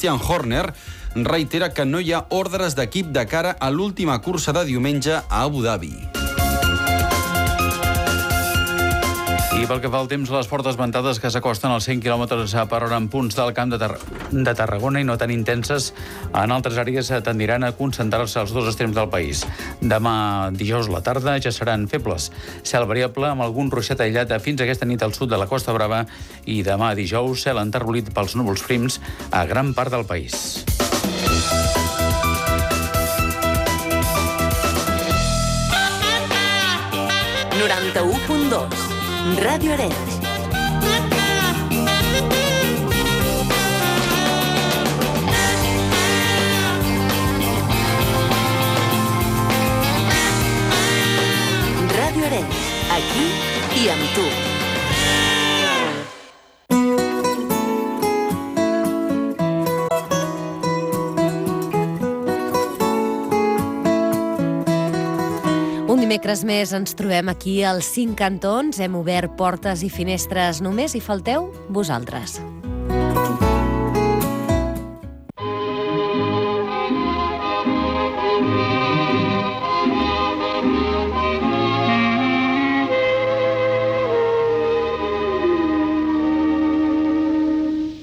Christian Horner, reitera que no hi ha ordres d'equip de cara a l'última cursa de diumenge a Abu Dhabi. I pel que fa al temps, les fortes ventades que s'acosten als 100 km per hora en punts del Camp de Tarragona i no tan intenses en altres àrees tendiran a concentrar-se als dos extrems del país. Demà dijous a la tarda ja seran febles. Cel variable amb algun ruixat aïllat fins aquesta nit al sud de la Costa Brava i demà dijous cel enterbolit pels núvols prims a gran part del país. Ràdio Arenys. Ràdio Arenys, aquí i amb tu. Dimecres més ens trobem aquí als 5 cantons. Hem obert portes i finestres només i falteu vosaltres.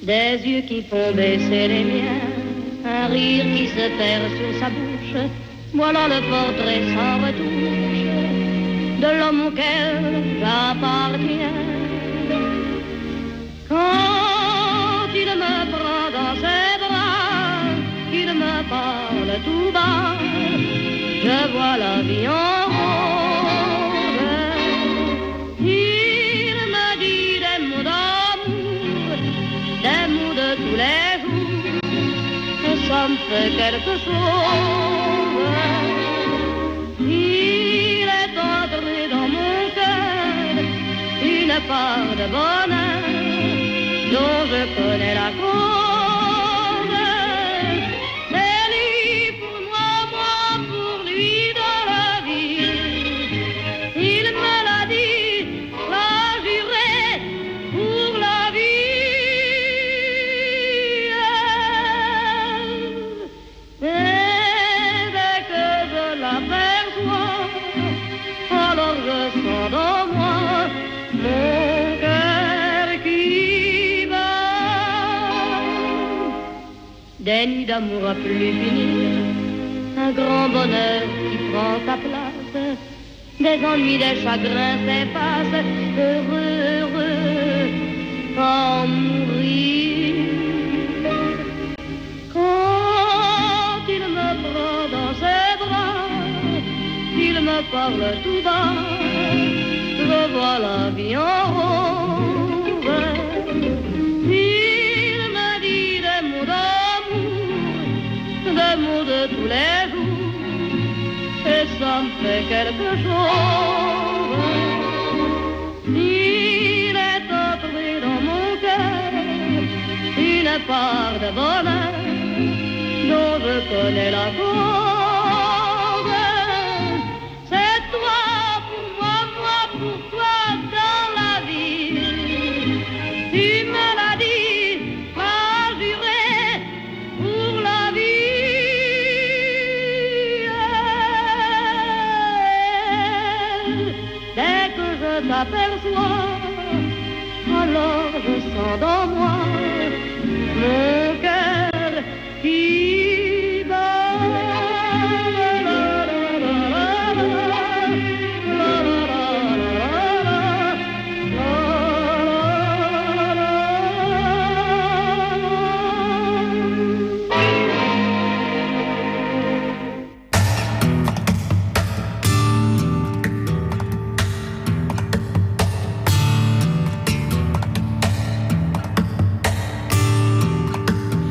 Des yeux qui font baisser les miens, un rire qui se perd sur sa bouche, voilà le portrait sans retouche de l'homme auquel j'appartiens. Quand il me prend dans ses bras, qu'il me parle tout bas, je vois la vie en rose. Il me dit des mots d'amour, des mots de tous les jours, et ça me fait quelque chose. Il est entré dans mon cœur une part de bonheur dont je connais la cause. C'est lui pour moi, moi pour lui dans la vie. Il me l'a dit, l'a juré pour la vie. Et dès que je l'aperçois, alors je sens dans moi mon cœur qui bat. Des nuits d'amour à plus finir, un grand bonheur qui prend sa place, des ennuis, des chagrins s'effacent, heureux, heureux, en mourir. Quand il me prend dans ses bras, il me parle tout bas, je vois la vie en rose. Il me dit des mots d'amour, des mots de tous les jours, et ça me fait quelque chose. Il est entré dans mon cœur une part de bonheur dont je connais la cause. C'est toi pour moi, moi pour toi dans la vie. Tu me l'as dit, m'as juré pour la vie. Dès que je t'aperçois, alors je sens dans moi mon cœur qui bat.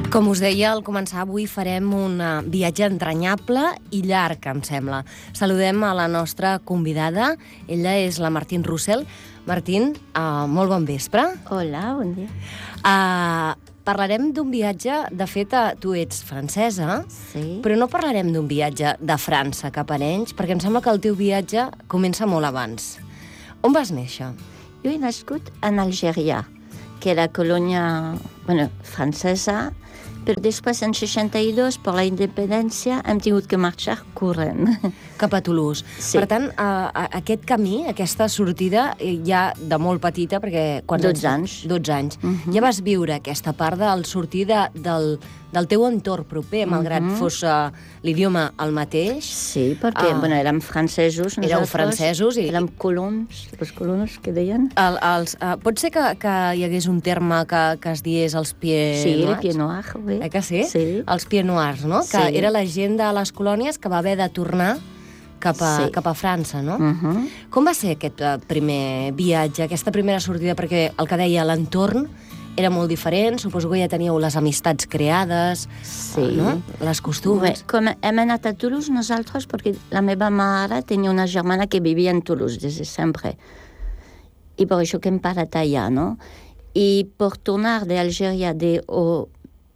Com us deia, al començar avui farem un viatge entranyable i llarg, em sembla. Saludem a la nostra convidada. Ella és la Martín Russell. Martín, molt bon vespre. Hola, bon dia. Parlarem d'un viatge, de fet, tu ets francesa, Sí. però no parlarem d'un viatge de França cap a Arenys, perquè em sembla que el teu viatge comença molt abans. On vas néixer? Jo he nascut en Algèria, que era colònia francesa, Però després, en 62, per la independència, hem tingut que marxar corrent. Cap a Toulouse. Sí. Per tant, aquest camí, aquesta sortida, ja de molt petita, perquè... 12 anys. 12 anys. Ja vas viure aquesta part del sortir del teu entorn proper, malgrat fos l'idioma el mateix. Sí, perquè érem francesos. Éreu francesos i... Érem colons, els colons que deien. Pot ser que hi hagués un terme que es diés els pieds noirs? Sí, els pieds noirs, oui. Que sí? Sí. Els pieds noirs, no? Que Sí. era la gent de les colònies que va haver de tornar cap a França, no? Com va ser aquest primer viatge, aquesta primera sortida? Perquè el que deia, l'entorn era molt diferent, suposo que ja teníeu les amistats creades, no? Les costums. Com hem anat a Toulouse nosaltres, perquè la meva mare tenia una germana que vivia en Toulouse des de sempre. I per això que hem parat allà, no? I per tornar d'Algèria de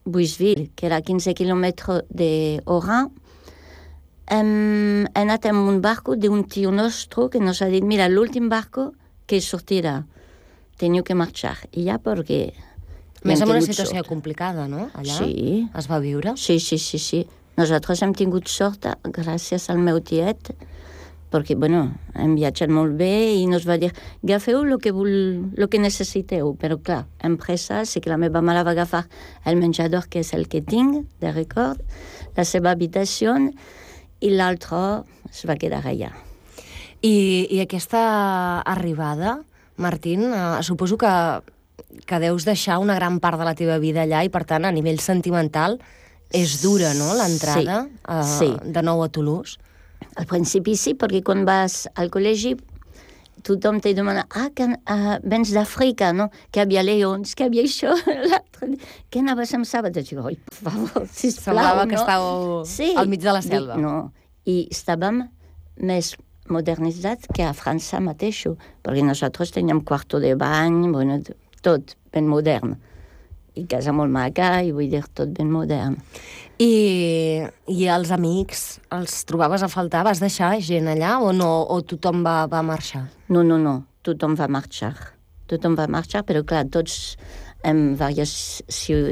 Bouisville, que era 15 quilòmetres d'Oran, hem anat amb un barco d'un tio nostre que nos ha dit, mira, l'últim barco que sortirà, teniu que marxar. I ja perquè... Més en una situació complicada, no? Allà Sí. es va viure. Sí. Nosaltres hem tingut sort gràcies al meu tiet, perquè, hem viatjat molt bé i nos va dir, agafeu el que necessiteu, però clar, empresa, sí que la meva mare va agafar el menjador, que és el que tinc, de record, la seva habitació, i l'altre es va quedar allà. I aquesta arribada, Martín, suposo que deus deixar una gran part de la teva vida allà i, per tant, a nivell sentimental, és dura, no?, l'entrada de nou a Toulouse. Al principi sí, perquè quan vas al col·legi tothom te demana, vens d'Àfrica, no? Que hi havia leons, que hi havia això, l'altre dia. Què anaves amb sàbates? Dic, oi, per favor, sisplau, Semblava que estàveu al mig de la selva. No, i estàvem més modernitzats que a França mateixo, perquè nosaltres teníem quarto de bany, tot ben modern. I casa molt maca, i vull dir, tot ben modern. I els amics, els trobaves a faltar? Vas deixar gent allà o no? O tothom va marxar? No, tothom va marxar. Tothom va marxar, però clar, tots en diverses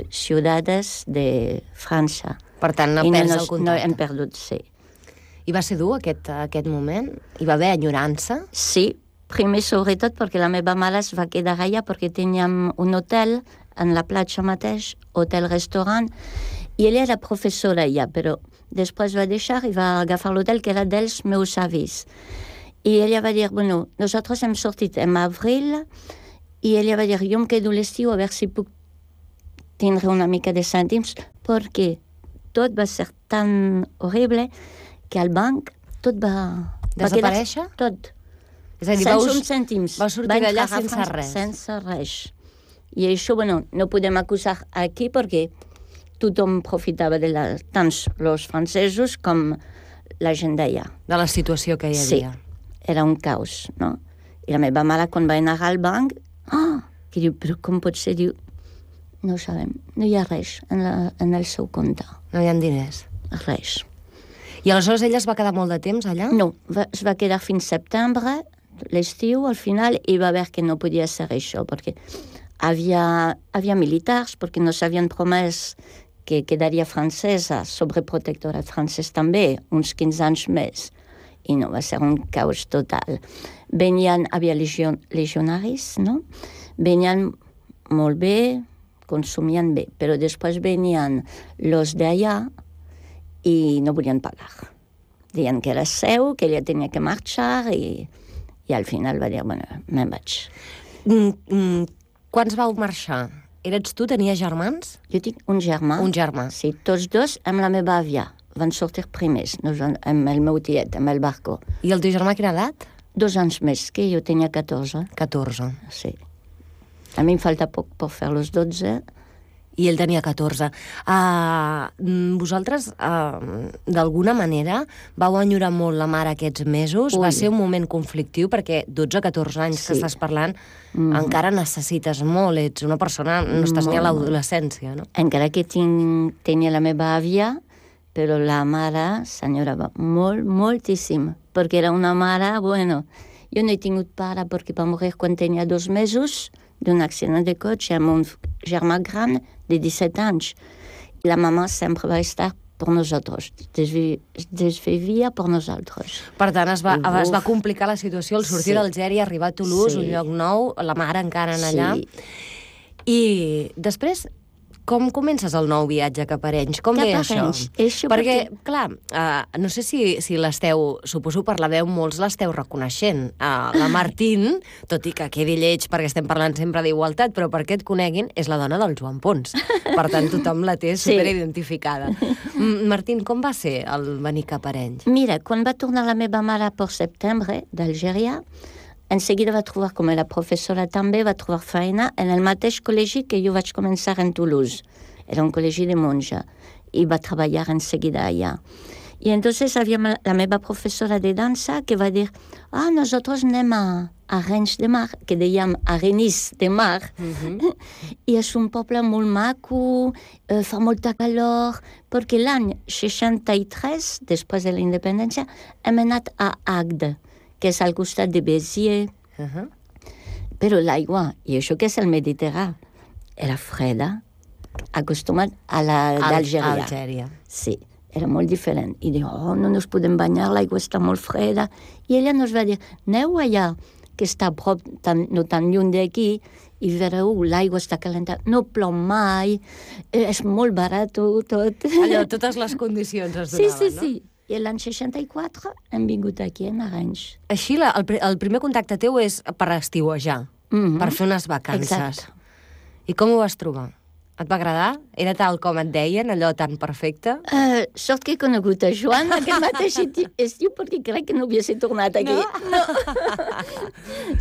ciutats de França. Per tant, perds el contacte. No hem perdut, sí. I va ser dur aquest moment? Hi va haver enyorança? Sí, primer sobretot perquè la meva mare es va quedar allà perquè teníem un hotel en la platja mateix, hotel-restaurant, i ella era professora allà, però després va deixar i va agafar l'hotel que era dels meus avis. I ella va dir, nosaltres hem sortit en abril, i ella va dir, jo em quedo l'estiu a veure si puc tindre una mica de cèntims, perquè tot va ser tan horrible que al banc tot va... Desaparèixer? Tot. És a dir, sense uns cèntims. Va sortir d'allà sense res. Sense res. I això, no podem acusar aquí perquè tothom profitava tant els francesos com la gent d'allà. De la situació que hi havia. Sí, era un caos, no? I la meva mare, quan va anar al banc, que diu, però com pot ser? Diu, no ho sabem, no hi ha res en el seu compte. No hi ha diners. Res. I aleshores ella es va quedar molt de temps allà? No, es va quedar fins setembre, l'estiu, al final, i va veure que no podia ser això, perquè havia militars, perquè no s'havien promès que quedaria francesa, sobreprotectorat francès també, uns 15 anys més. I no, va ser un caos total. Havia legionaris, no? Venien molt bé, consumien bé, però després venien los d'allà i no volien pagar. Deien que era seu, que ella tenia que marxar i al final va dir, me'n vaig. Quants vau marxar? Eres tu? Tenies germans? Jo tinc un germà. Un germà. Sí, tots dos amb la meva àvia. Van sortir primers, amb el meu tiet, amb el barco. I el teu germà quina edat? 2 anys més, que jo tenia 14. 14. Sí. A mi em falta poc per fer los 12. I ell tenia 14. Vosaltres, d'alguna manera, vau enyorar molt la mare aquests mesos? Va ser un moment conflictiu, perquè 12-14 anys que estàs parlant, encara necessites molt, ets una persona, no estàs ni a l'adolescència, no? Encara que tenia la meva àvia, però la mare s'enyorava molt, moltíssim, perquè era una mare, jo no he tingut pare perquè va morir quan tenia 2 mesos d'un accident de cotxe amb un germà gran de 17 anys. La mamà sempre va estar per nosaltres, desvivia per nosaltres. Per tant, es va complicar la situació al sortir Sí. d'Algèria, arribar a Toulouse, un lloc nou, la mare encara en allà. Sí. I després, com comences el nou viatge cap a Arenys? Com Cap ve a això? Arenys. Això Perquè, perquè- clar, no sé si l'esteu, suposo per la veu molts l'esteu reconeixent. La Martín, tot i que quedi lleig perquè estem parlant sempre d'igualtat, però perquè et coneguin, és la dona del Joan Pons. Per tant, tothom la té Sí. superidentificada. Martín, com va ser el venir cap a Arenys? Mira, quan va tornar la meva mare per setembre d'Algèria, en seguida va trobar, com era professora també, va trobar feina en el mateix col·legi que jo vaig començar en Toulouse. Era un col·legi de monja. I va treballar en seguida allà. I entonces havia la meva professora de dansa que va dir nosaltres anem a Arenys de Mar, que dèiem Arenys de Mar, i és un poble molt maco, fa molta calor, perquè l'any 63, després de la independència, hem anat a Agde, que és al costat de Béziers. Però l'aigua, i això que és el Mediterrani, era freda, acostumat a la d'Algèria. Algèria. Sí, era molt diferent. I diu, no ens podem banyar, l'aigua està molt freda. I ella ens va dir, aneu allà, que està a prop, no tan lluny d'aquí, i veureu, l'aigua està calenta, no plou mai, és molt barat tot. Allò, totes les condicions es Sí, donaven, sí, sí. I l'any 64 hem vingut aquí a Arenys. Així, el primer contacte teu és per estiuejar, per fer unes vacances. Exacte. I com ho vas trobar? Et va agradar? Era tal com et deien, allò tan perfecte? Sort que he conegut a Joan aquest mateix estiu perquè crec que no hagués tornat aquí. No.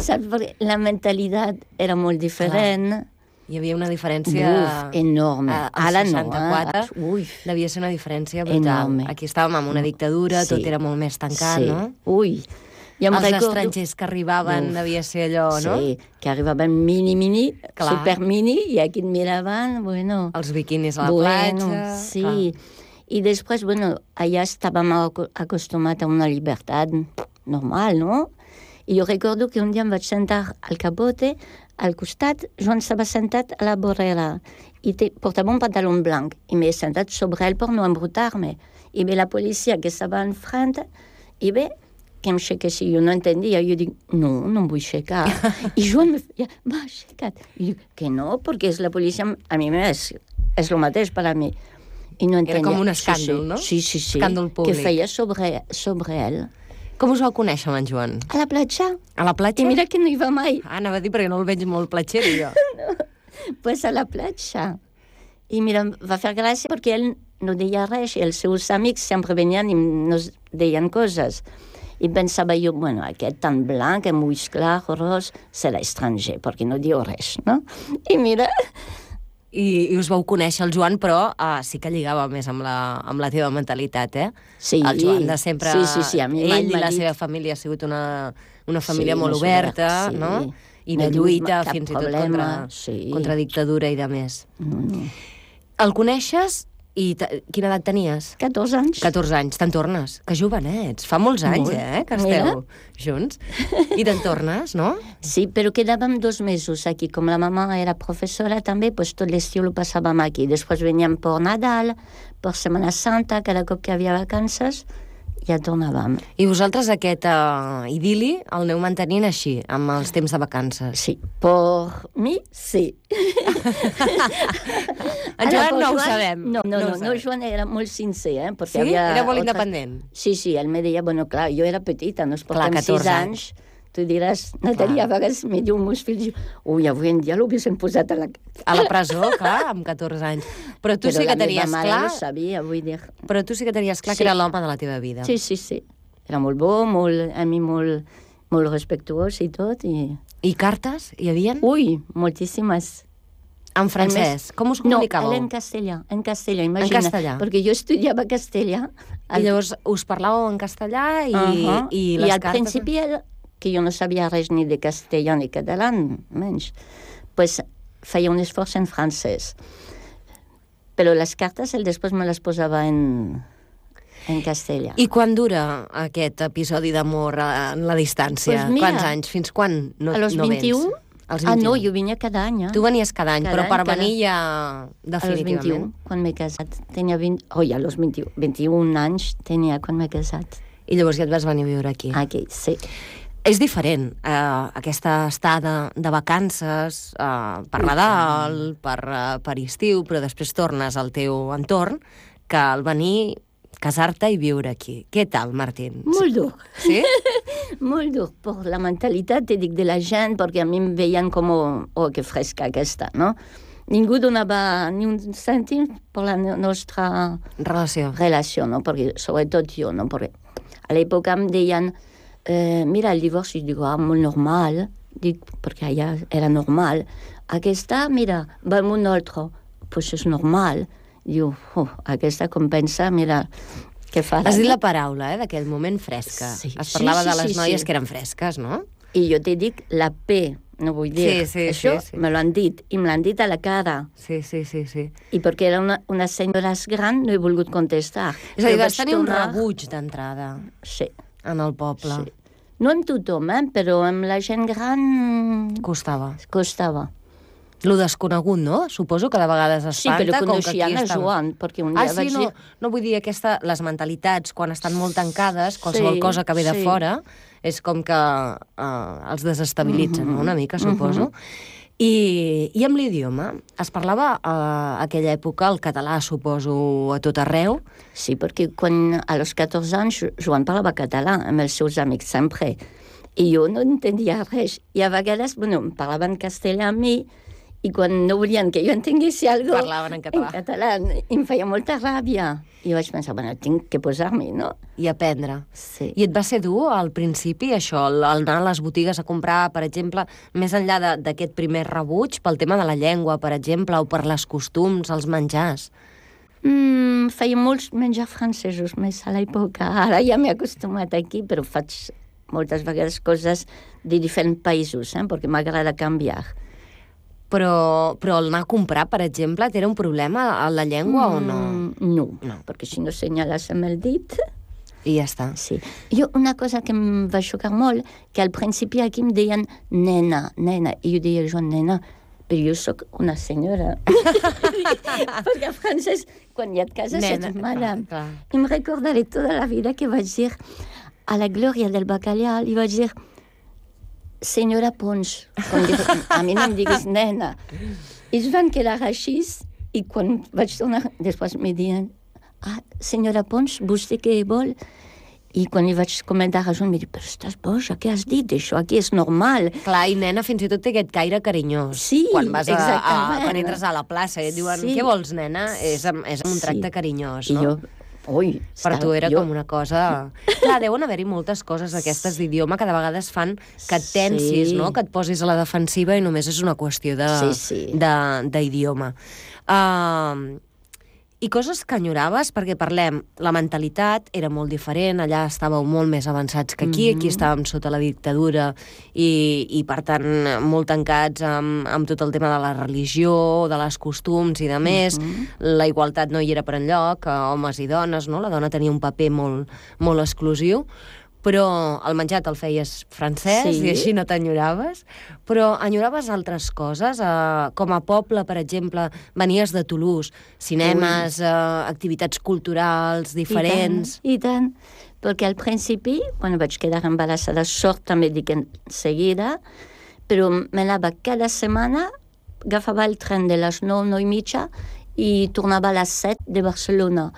Saps? Perquè la mentalitat era molt diferent. Hi havia una diferència... Enorme. Al Ara 64 no. devia ser una diferència brutal. Enorme. Aquí estàvem amb una dictadura, Sí. tot era molt més tancat, Sí. no? Ui. Jo em Els recordo... estrangers que arribaven devia ser allò, no? Sí, que arribaven mini, Clar. supermini, i aquí et miraven, bueno... Els biquinis a la platja... Sí. clar. I després, bueno, allà estàvem acostumats a una llibertat normal, no? I jo recordo que un dia em vaig sentar al capote, al costat, Joan estava sentat a la vorera i portava un pantaló blanc i m'he sentat sobre ell per no embrutar-me. I ve la policia que estava enfront i ve que em aixequessi. Jo no entendia. Jo dic, no em vull aixecar. I Joan m'ha aixecat. I dic, que no, perquè és la policia. A mi és el mateix per a mi. I no entendia. Era com un escàndol, no? Sí. Escàndol públic. Que feia sobre ell. Com us vau conèixer amb en Joan? A la platja. A la platja? I mira que no hi va mai. Anava a dir perquè no el veig molt platxero, jo. Pues a la platja. I mira, em va fer gràcia perquè ell no deia res i els seus amics sempre venien i nos deien coses. I pensava jo, bueno, aquest tan blanc, amb ulls clars, ros, serà estranger, perquè no diu res, no? I mira... I us vau conèixer el Joan, però sí que lligava més amb la teva mentalitat, eh? Sí. El Joan de sempre... Sí, a mi mai ell i m'ha la dit- seva família ha sigut una família molt més oberta, oberta, sí. no? I No de he tingut lluita cap fins i tot problema, sí. contra dictadura i de més. No. El coneixes i quina edat tenies? 14 anys. 14 anys. Te'n tornes? Que jovenets. Fa molts anys, Molt. que esteu junts. I te'n tornes, no? Sí, però quedàvem 2 mesos aquí. Com la mama era professora també, pues tot l'estiu lo passàvem aquí. Després veníem per Nadal, per Setmana Santa, cada cop que hi havia vacances, ja tornàvem. I vosaltres aquest idili el aneu mantenint així, amb els temps de vacances? Sí, per mi, sí. En Joan no ho sabem. No, No ho sabem. Joan era molt sincer, perquè Sí? havia... Era molt altres- independent. Sí, ell me deia, bueno, clar, jo era petita, nos Clar, portem 14 6 anys. Tu diràs, Natàlia, a vegades me diu meus fills, ui, avui en dia l'haguessin posat a la... A la presó, clar, amb 14 anys. Però tu sí que tenies la meva mare clar... no sabia, vull dir... Però tu sí que tenies clar Sí. que era l'home de la teva vida. Sí. Era molt bo, a mi molt respectuós i tot. I cartes? Hi havien? Ui, moltíssimes. En francès? Com us comunicàveu? No, en castellà, imagina. castellà. Perquè jo estudiava castellà. I llavors us parlàveu en castellà i, i I les al cartes... principi, que jo no sabia res ni de castellà ni català, menys, pues feia un esforç en francès. Però les cartes, després me les posava en castellà. I quan dura aquest episodi d'amor en la distància? Pues mira, Quants anys? Fins quan no, a los no 21, vens? Als 21. No, jo venia cada any. Tu venies cada any, però per venir ja A los definitivament. 21, quan m'he casat. Tenia 20... a los 21 anys tenia quan m'he casat. I llavors ja et vas venir a viure aquí. Aquí, sí. És diferent, aquesta estada de vacances, per Nadal, per estiu, però després tornes al teu entorn, que al venir, casar-te i viure aquí. Què tal, Martín? Molt dur. Sí? Molt dur, per la mentalitat, dic, de la gent, perquè a mi em veien com, que fresca aquesta, no? Ningú donava ni un cèntim per la nostra relació, no? Perquè, sobretot jo, no? Perquè a l'època em deien mira, el divorci, dic, molt normal, dic, perquè allà era normal. Aquesta, mira, va amb un altre, doncs és normal. Diu, aquesta compensa, mira, què farà? Has dit la paraula, d'aquell moment, fresca. Sí. Es parlava de les noies que eren fresques, no? I jo te dic la P, no vull dir. Això me l'han dit, i me l'han dit a la cara. Sí. I perquè era una senyora gran, no he volgut contestar. És a dir, vas tenir un rebuig d'entrada. Sí. En el poble. Sí. No amb tothom, però amb la gent gran... Costava. Lo desconegut, no? Suposo que de vegades espanta. Sí, però coneixien a Joan, perquè un dia vaig dir... No vull dir les mentalitats, quan estan molt tancades, qualsevol cosa que ve de fora, és com que els desestabilitzen una mica, suposo. I amb l'idioma? Es parlava a aquella època el català, suposo, a tot arreu? Sí, perquè quan a los 14 anys Joan parlava català amb els seus amics sempre, i jo no entendia res. I a vegades, em parlaven castellà a mi, i quan no volien que jo entenguessi alguna cosa... Parlaven en català. En català. I em feia molta ràbia. I vaig pensar, tinc que posar-m'hi, no? I aprendre. Sí. I et va ser dur al principi, això, el anar a les botigues a comprar, per exemple, més enllà d'aquest primer rebuig, pel tema de la llengua, per exemple, o per les costums, els menjars? Feia molts menjars francesos més a l'època. Ara ja m'he acostumat aquí, però faig moltes vegades coses de diferents països, perquè m'agrada canviar. Però el anar a comprar, per exemple, era un problema a la llengua o no? No, perquè si no senyales amb el dit... I ja està. Sí. Jo, una cosa que em va xocar molt, que al principi aquí em deien nena, i jo deia, Joan, nena, però jo sóc una senyora. Perquè a francès, quan ja et cases, ets madame. I em recordaré tota la vida que vaig dir a la Glòria del Bacallà, li vaig dir... Senyora Pons, a mi no em diguis nena. I es van quedar així, i quan vaig tornar, després me diuen, senyora Pons, vostè què vol? I quan li vaig comentar a Joan, em diu, però estàs boja, què has dit? Això aquí és normal. Clar, i nena fins i tot té aquest caire carinyós. Sí, quan vas exactament. Quan entres a la plaça i et diuen, què vols, nena? És un tracte carinyós, no? Per tu era com una cosa... Clar, deuen haver-hi moltes coses aquestes d'idioma que de vegades fan que et tensis, no? Que et posis a la defensiva i només és una qüestió d'idioma. I coses que enyoraves, perquè parlem, la mentalitat era molt diferent, allà estàveu molt més avançats que aquí, aquí estàvem sota la dictadura i per tant, molt tancats amb tot el tema de la religió, de les costums i de més. La igualtat no hi era per enlloc, homes i dones, no? La dona tenia un paper molt exclusiu, però el menjar te'l feies francès i així no t'enyoraves, però enyoraves altres coses, com a poble, per exemple, venies de Toulouse, cinemes, activitats culturals diferents... I tant, perquè al principi, quan vaig quedar embarassada, sort també dic en seguida, però m'anava cada setmana, agafava el tren de les 9, 9 i mitja, i tornava a les 7 de Barcelona.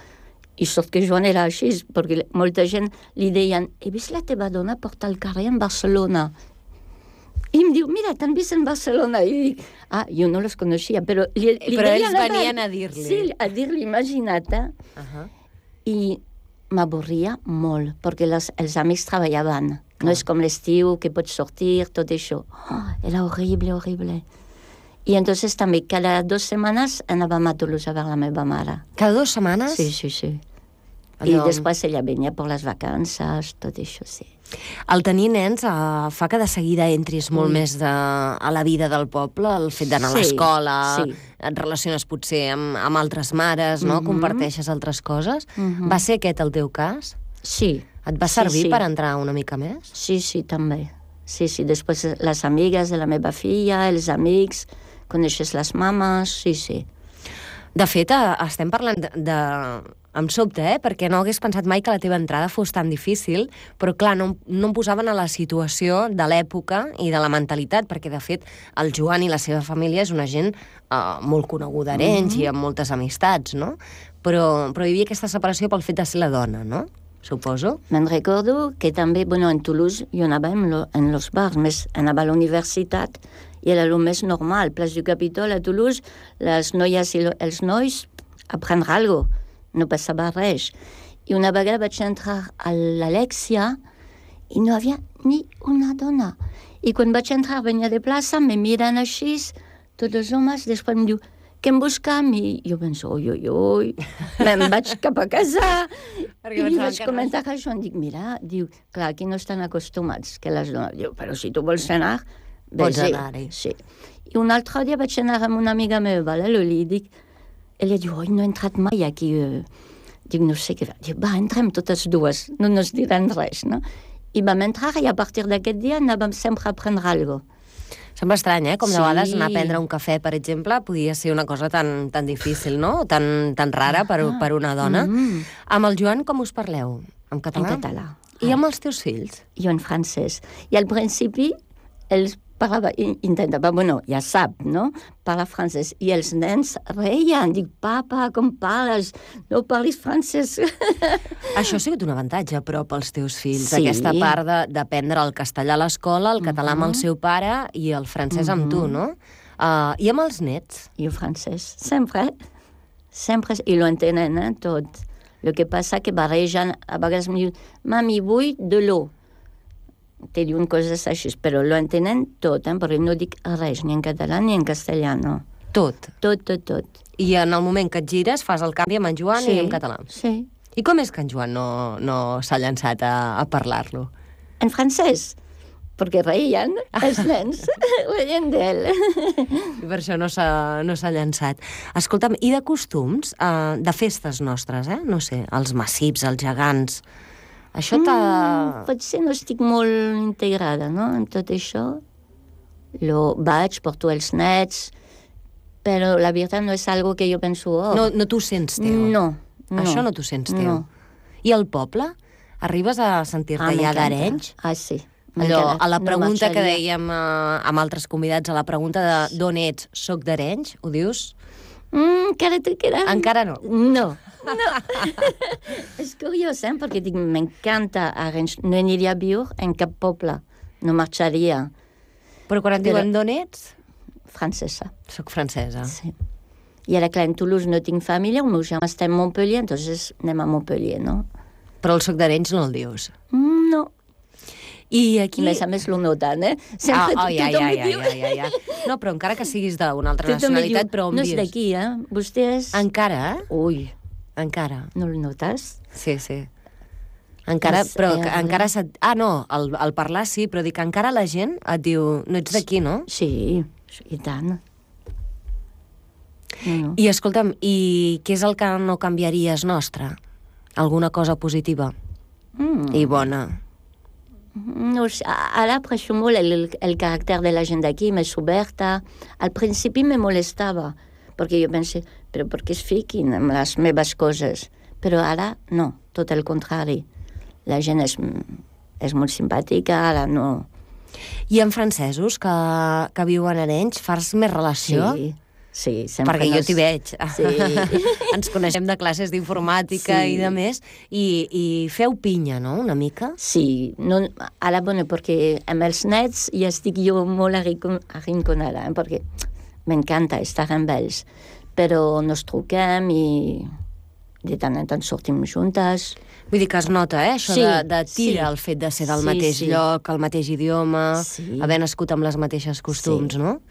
I sort que Joan era així, perquè molta gent li deien he vist la teva dona portar el carrer en Barcelona. I em diu, mira, t'han vist en Barcelona. I dic, jo no les coneixia, però li però ells venien a dir-li. Sí, a dir-li, imagina't. I m'avorria molt, perquè els amics treballaven. No és com l'estiu, que pots sortir, tot això. Era horrible. I entonces també cada 2 setmanes anàvem a Toulouse a veure la meva mare. Cada 2 setmanes? Sí. I després ella venia per les vacances, tot això, sí. El tenir nens fa que de seguida entris molt més a la vida del poble, el fet d'anar a l'escola, et relaciones potser amb altres mares, no? Comparteixes altres coses. Va ser aquest el teu cas? Sí. Et va servir per entrar una mica més? Sí, també. Sí, sí, després les amigues de la meva filla, els amics, coneixes les mames, sí, sí. De fet, estem parlant em sobta, perquè no hagués pensat mai que la teva entrada fos tan difícil, però clar, no em posaven a la situació de l'època i de la mentalitat, perquè de fet el Joan i la seva família és una gent molt coneguda a Arenys i amb moltes amistats, no? Però hi havia aquesta separació pel fet de ser la dona, no? Suposo. Me'n recordo que també, en Toulouse, jo anava en los bars, més anava a la universitat i era el més normal. Place du Capitol, a Toulouse, les noies i els nois a prendre algo. No passava res. I una vegada vaig entrar a l'Alexia i no hi havia ni una dona. I quan vaig entrar, venia de plaça, me miren així, tots els homes, després em diu, què em buscam? I jo penso, oi, me'n vaig cap a casa. I vaig comentar això, em dic, mira, diu, clar, aquí no estan acostumats que les dones. Diu, però si tu vols anar, pots anar-hi. Sí. I un altre dia vaig anar amb una amiga meva, la Loli, i dic, ella diu, oi, no he entrat mai aquí. Dic, no sé què fa. Diu, entrem totes dues, no ens diran res, no? I vam entrar i a partir d'aquest dia anàvem sempre a prendre alguna cosa. Sembla estrany, com de vegades anar a prendre un cafè, per exemple, podia ser una cosa tan difícil, no? Tan rara per una dona. Amb el Joan com us parleu? En català? En català. I amb els teus fills? Jo en francès. I al principi ells intentava, ja sap, no? Parla francès. I els nens reien. Dic, papa, com parles? No parlis francès. Això ha sigut un avantatge, però, pels teus fills. Sí. Aquesta part d'aprendre el castellà a l'escola, el català amb el seu pare i el francès amb tu, no? I amb els nets? I el francès. Sempre. I lo entenen, tot. El que passa que barregen, a vegades em diuen, mami, vull de l'eau. Te diuen coses així, però lo entenen tot, perquè no dic res, ni en català ni en castellà, no. Tot? Tot. I en el moment que et gires fas el canvi amb en Joan i en català? Sí. I com és que en Joan no s'ha llançat a parlar-lo? En francès, perquè reien els nens, reien d'ell. I per això no s'ha llançat. Escolta'm, i de costums, de festes nostres, no sé, els massips, els gegants... Això Potser no estic molt integrada, no?, en tot això. Vaig, porto els nets, però la veritat no és algo que jo penso... No t'ho sents teu? No. Això no t'ho sents teu? No. I al poble? Arribes a sentir-te ja d'Arenys? Sí. Allò, a la pregunta que dèiem amb altres convidats, a la pregunta de d'on ets, soc d'Arenys, ho dius? Encara te queda... Encara no? No. És curiós, perquè dic, m'encanta Arenys, no aniria a viure en cap poble, no marxaria. Però quan et diuen d'on ets? Francesa. Soc francesa. Sí. I ara, clar, en Toulouse no tinc família, el meu germà està a Montpellier, entonces anem a Montpellier, no? Però el soc d'Arenys no el dius? No. I aquí... A més lo noten, Sempre tothom mi diu... No, però encara que siguis d'una altra nacionalitat, però on vius? No és d'aquí, Vostè és... Encara? Ui. Encara. No el notes? Sí. Encara, però encara... no, el parlar sí, però dic que encara la gent et diu, no ets d'aquí, no? Sí, i tant. No. I escolta'm, i què és el que no canviaries nostre? Alguna cosa positiva i bona? No, ara aprecio molt el caràcter de la gent d'aquí, més oberta. Al principi me molestava, perquè jo pensé, però per què es fiquin amb les meves coses? Però ara no, tot el contrari. La gent és molt simpàtica, ara no. I amb francesos que viuen a Arenys, fas més relació? Sí, sempre. Perquè jo t'hi veig. Sí. Ens coneixem de classes d'informàtica i de més, i feu pinya, no?, una mica? Sí, ara, perquè amb els nets ja estic jo molt arrinconada, perquè m'encanta estar amb ells, però nos truquem i de tant en tant sortim juntes. Vull dir que es nota, això de tira el fet de ser del mateix lloc, el mateix idioma, haver nascut amb les mateixes costums, no?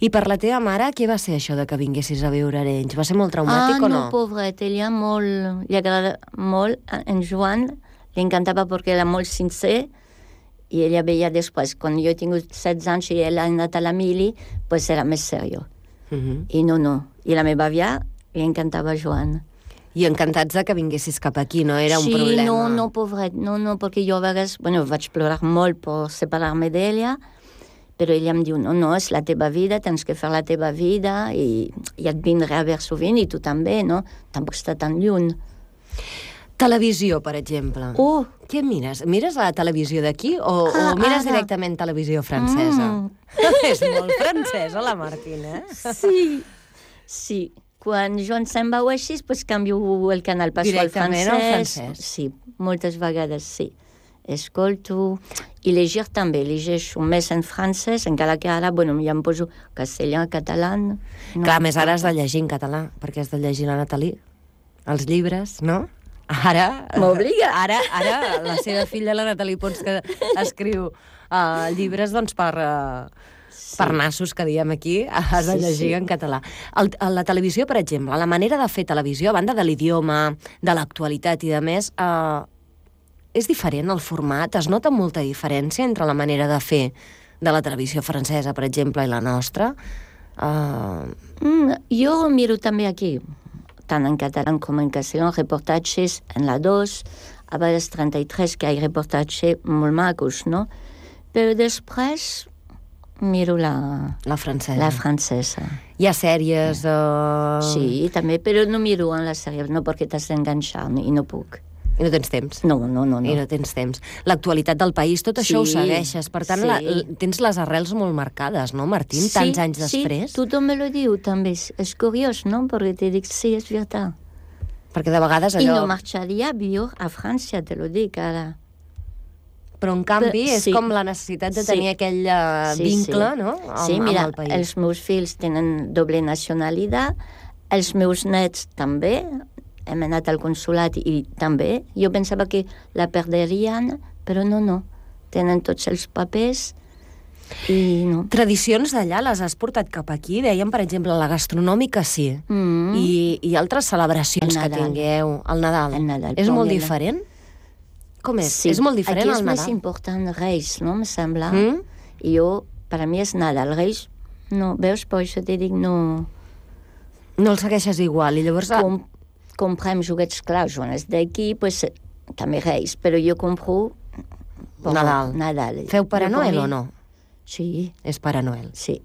I per la teva mare, què va ser això de que vinguessis a viure a Arenys? Va ser molt traumàtic o no? Pobret, ella li agrada molt, en Joan, li encantava perquè era molt sincer, i ella veia després, quan jo he tingut 16 anys i ella ha anat a la mili, doncs era més seriós. I no. I la meva àvia li encantava Joan. I encantats de que vinguessis cap aquí, no era un problema. Sí, no, pobret, no, perquè jo a vegades, vaig plorar molt per separar-me d'ella, però ella em diu, no, és la teva vida, tens que fer la teva vida, i et vindré a veure sovint, i tu també, no? Tampoc està tan lluny. Televisió, per exemple. Què mires? Mires la televisió d'aquí o mires directament televisió francesa? És molt francesa, la Martina. Sí. Quan jo em se'n vau així, doncs canvio el canal, passo al francès. Directament al francès? Sí, moltes vegades, sí. Escolto. I llegir també, llegeixo més en francès, encara que ara, ja em poso castellà, català... Clar, més ara has de llegir en català, perquè has de llegir la Nathalie. Els llibres, no? Ara... M'obliga. Ara la seva filla, la Nathalie Pons, que escriu llibres, doncs, per nassos, que diem aquí, has de llegir en català. La televisió, per exemple, la manera de fer televisió, a banda de l'idioma, de l'actualitat i de més, és diferent el format? Es nota molta diferència entre la manera de fer de la televisió francesa, per exemple, i la nostra? Jo miro també aquí, tant en català com en castellà, reportatges en la 2, a vegades 33, que hi ha reportatges molt macos, no? Però després miro la francesa. Hi ha sèries... Sí, també, però no miro en les sèries, no perquè t'has d'enganxar i no puc. I no tens temps. No. I no tens temps. L'actualitat del país, tot això ho segueixes. Per tant, tens les arrels molt marcades, no, Martín? Tants anys després. Sí, tothom me lo diu, també. És curiós, no? Perquè te dic, sí, és veritat. Perquè de vegades allò... I no marxaria a viure a França, te lo dic, ara. Però, en canvi, és com la necessitat de tenir aquell vincle, no?, amb el país. Els meus fills tenen doble nacionalitat, els meus nets també, hem anat al consulat i també. Jo pensava que la perderien, però no. Tenen tots els papers i no. Tradicions d'allà les has portat cap aquí? Dèiem, per exemple, la gastronòmica, sí. I altres celebracions que tingueu. El Nadal. És molt diferent? Com és? Sí, és molt diferent el Nadal? Aquí és més important Reis, no? Em sembla. I jo, per a mi és Nadal. Reis, no. Veus? Per això te dic, no... No el segueixes igual. I llavors... Comprem joguets, clar, quan és d'aquí, doncs també Reis. Però jo compro... Nadal. Feu Pare Noel o no? Sí. És Pare Noel. Sí.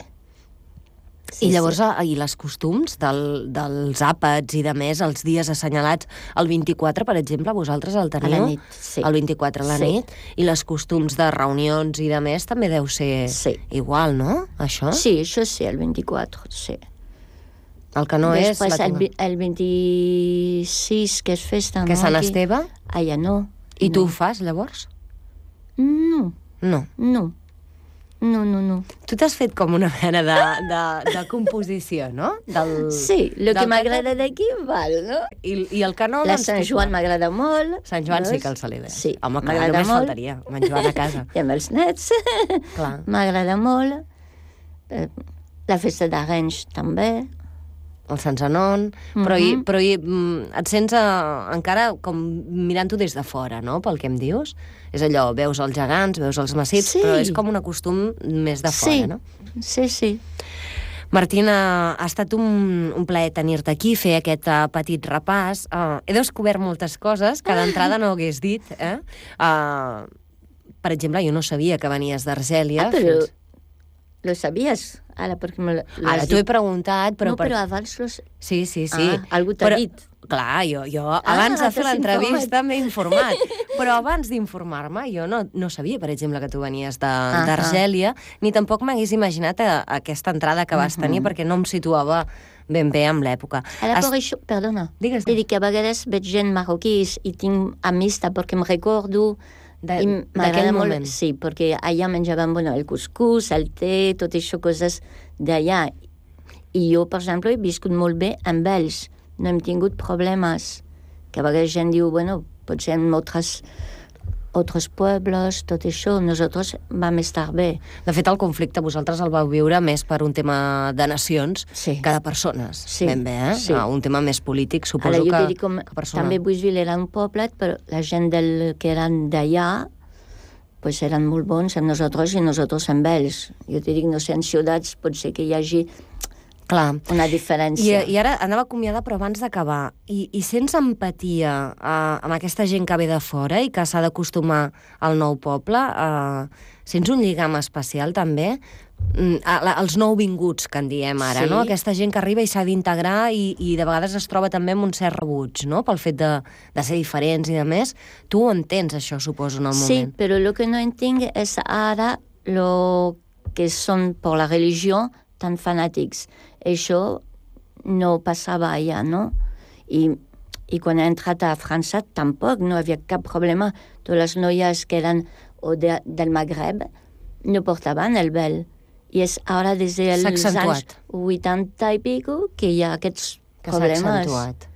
I llavors, i les costums dels àpats i de més, els dies assenyalats, el 24, per exemple, vosaltres el teniu? A la nit, sí. El 24 a la nit? I les costums de reunions i de més també deu ser igual, no? Això? Sí, això sí, el 24, sí. El que no després, és... el 26, que és festa, no? Que Sant Esteve? Ja no. I tu ho fas, llavors? No. No. Tu t'has fet com una mena de composició, no? Sí, el que m'agrada d'aquí val, no? I el que no... La Sant Joan m'agrada molt. Sant Joan sí que el celebres. Sí, home, clar, només faltaria. Sant Joan a casa. I amb els nets. Clar. M'agrada molt. La festa d'Arenys també. El Sant Zenon, però et sents encara com mirant-ho des de fora, no?, pel que em dius. És allò, veus els gegants, veus els massits, però és com un costum més de fora, no? Sí. Martina, ha estat un plaer tenir-te aquí, fer aquest petit repàs. He descobert moltes coses que d'entrada no hagués dit. Per exemple, jo no sabia que venies d'Argèlia. Però lo sabies? Ara t'ho he preguntat, però... No, però abans... Sí. Algú t'ha dit. Clar, jo abans de fer l'entrevista m'he informat. Però abans d'informar-me, jo no sabia, per exemple, que tu venies d'Argèlia, ni tampoc m'hagués imaginat aquesta entrada que vas tenir, perquè no em situava ben bé amb l'època. Ara, per això, perdona, dic que a vegades veig gent marroquí i tinc amistat perquè em recordo... D'aquell moment. Sí, perquè allà menjàvem el cuscús, el té, tot això, coses d'allà. I jo, per exemple, he viscut molt bé amb ells. No hem tingut problemes. Que a vegades gent diu, potser en altres pobles, tot això, nosaltres vam estar bé. De fet, el conflicte vosaltres el vau viure més per un tema de nacions que de persones. Ben bé, un tema més polític, suposo que personal. També Buixville era un poblet, però la gent que eren d'allà eren molt bons amb nosaltres i nosaltres amb ells. Jo te dic, no sé, en ciutats pot ser que hi hagi Clar. una diferència. I ara anava acomiadar, però abans d'acabar, i sents empatia amb aquesta gent que ve de fora i que s'ha d'acostumar al nou poble? Sents un lligam especial, també? Els nouvinguts, que en diem ara, Sí. no? Aquesta gent que arriba i s'ha d'integrar i de vegades es troba també amb un cert rebuig, no? Pel fet de ser diferents i de més. Tu ho entens, això, suposo, en el Sí, moment. però lo que no entenc és ara lo que són per la religió tan fanàtics. Això no passava allà, no? I quan he entrat a França tampoc no havia cap problema. Totes les noies que eren del Magreb no portaven el vel. I és ara des dels anys 80 i pico que hi ha aquests problemes. S'ha accentuat.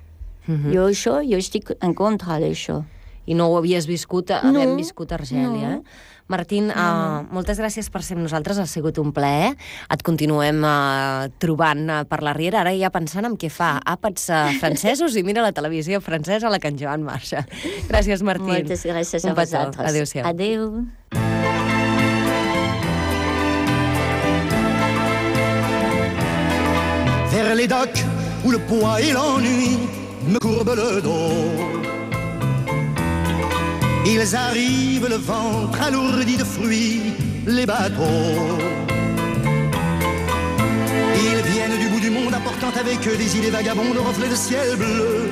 Jo estic en contra d'això. I no ho havies viscut, havent No, viscut a Argèlia. no. Martín, moltes gràcies per ser amb nosaltres, ha sigut un plaer. Et continuem trobant per la Riera, ara ja pensant en què fa àpats francesos i mira la televisió francesa a la que en Joan marxa. Gràcies, Martín. Moltes gràcies a Un petó. vosaltres. Adéu-siau. Adéu. Vers les docks où le poids et l'ennui me courbent le dos. Ils arrivent le ventre alourdi de fruits, les bateaux. Ils viennent du bout du monde apportant avec eux des idées vagabondes, reflets de ciel bleu,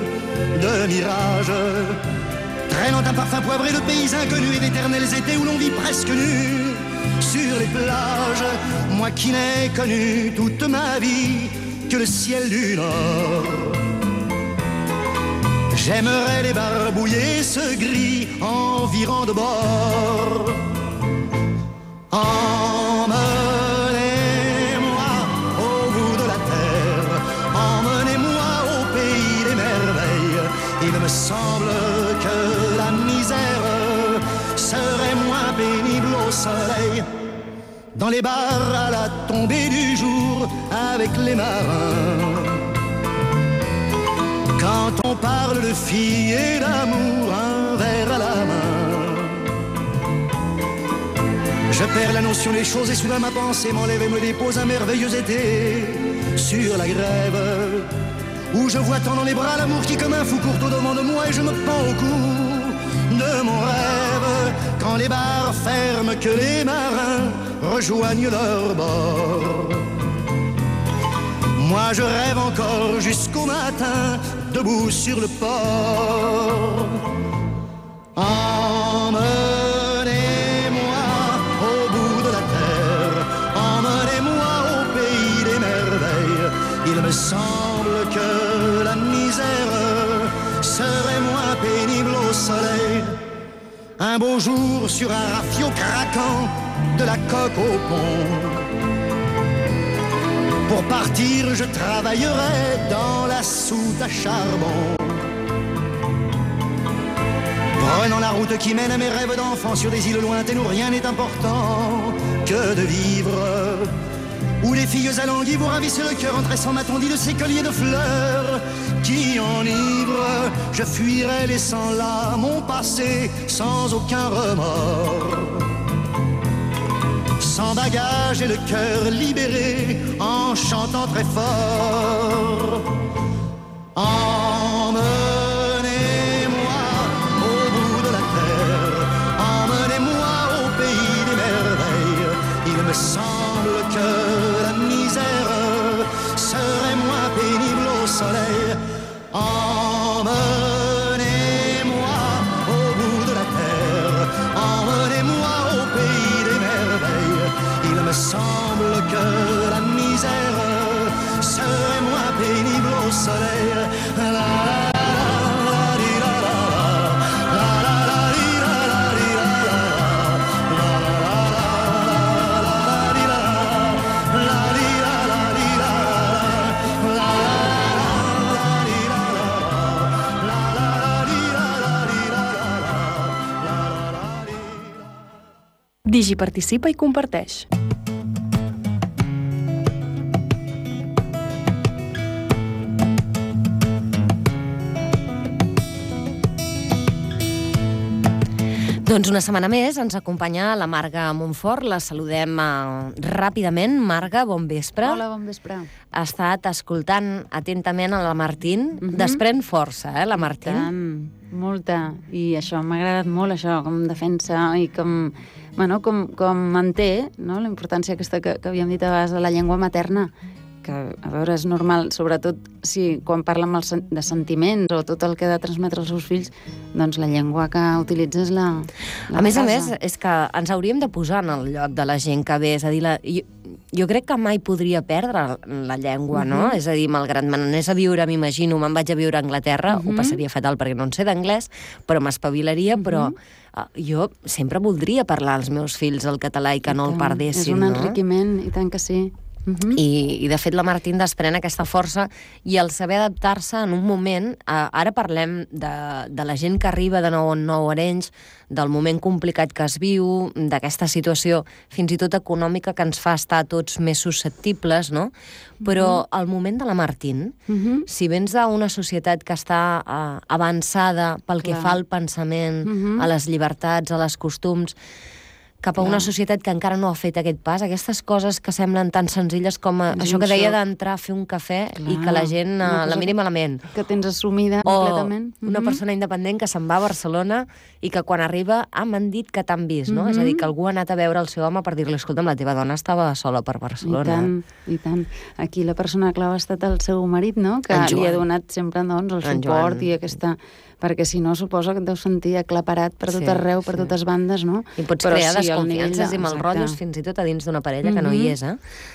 de mirages, traînant un parfum poivré de pays inconnus et d'éternels étés où l'on vit presque nu sur les plages. Moi qui n'ai connu toute ma vie que le ciel du Nord. J'aimerais débarbouiller ce gris environ de bord. Emmenez-moi au bout de la terre, emmenez-moi au pays des merveilles. Il me semble que la misère serait moins pénible au soleil. Dans les bars à la tombée du jour avec les marins. Quand on parle de filles et d'amour, un verre à la main. Je perds la notion des choses et soudain ma pensée m'enlève et me dépose un merveilleux été sur la grève. Où je vois tant dans les bras l'amour qui comme un fou court au devant de moi et je me pends au cou de mon rêve. Quand les bars ferment, que les marins rejoignent leur bord. Moi je rêve encore jusqu'au matin, debout sur le port. Emmenez-moi au bout de la terre, emmenez-moi au pays des merveilles. Il me semble que la misère serait moins pénible au soleil. Un beau jour sur un rafio craquant, de la coque au pont. Pour partir, je travaillerai dans la soute à charbon. Prenant la route qui mène à mes rêves d'enfant sur des îles lointaines où rien n'est important que de vivre. Où les filles alanguies vous ravissent le cœur en tressant ma tondie de ces colliers de fleurs qui enivrent. Je fuirai laissant là mon passé sans aucun remords. Sans bagage et le cœur libéré, en chantant très fort. Emmenez-moi au bout de la terre, emmenez-moi au pays des merveilles. Il me semble que la misère serait moins pénible au soleil. Emmenez-moi au bout de la terre, emmenez-moi au pays des merveilles. Il me semble que la misère serait moins pénible au soleil. La, la, la, di, la, la, la, la, la, di, la, la, di, la, la, la, la, di, la, la, di, la, la, di, la, la, di, la, la, di, la, la. Digi participa i comparteix. Doncs una setmana més ens acompanya la Marga Montfort. La saludem ràpidament. Marga, bon vespre. Hola, bon vespre. Ha estat escoltant atentament a la Martín. Desprèn força, la Martín? Tant, molta. I això, m'ha agradat molt, això, com defensa i com manté, no?, la importància aquesta que havíem dit a vegades de la llengua materna, que, a veure, és normal, sobretot si quan parla de sentiments o tot el que ha de transmetre als seus fills, doncs la llengua que utilitza és la a més, és que ens hauríem de posar en el lloc de la gent que ve, és a dir, jo crec que mai podria perdre la llengua, no? És a dir, malgrat me n'anés a viure, m'imagino, me'n vaig a viure a Anglaterra, ho passaria fatal perquè no en sé d'anglès, però m'espavilaria, però jo sempre voldria parlar als meus fills el català i que no el perdessin, no? És un no? enriquiment, i tant que sí. I de fet la Martín desprèn aquesta força i el saber adaptar-se en un moment, ara parlem de la gent que arriba de nou en nou a Arenys, del moment complicat que es viu, d'aquesta situació fins i tot econòmica que ens fa estar tots més susceptibles, no? Però el moment de la Martín, si vens d'una societat que està avançada pel que fa al pensament, a les llibertats, a les costums, cap a una societat que encara no ha fet aquest pas, aquestes coses que semblen tan senzilles com això que deia d'entrar a fer un cafè i que la gent la miri malament. Que tens assumida completament. O una persona independent que se'n va a Barcelona i que quan arriba m'han dit que t'han vist, no? És a dir, que algú ha anat a veure el seu home per dir-li, escolta'm, la teva dona estava sola per Barcelona. I tant. Aquí la persona clau ha estat el seu marit, no?, que li ha donat sempre, doncs, el suport i aquesta... Perquè si no, suposo que et deus sentir aclaparat per tot arreu, per totes bandes, no? I pots crear desconfiances i malrotllos fins i tot a dins d'una parella que no hi és,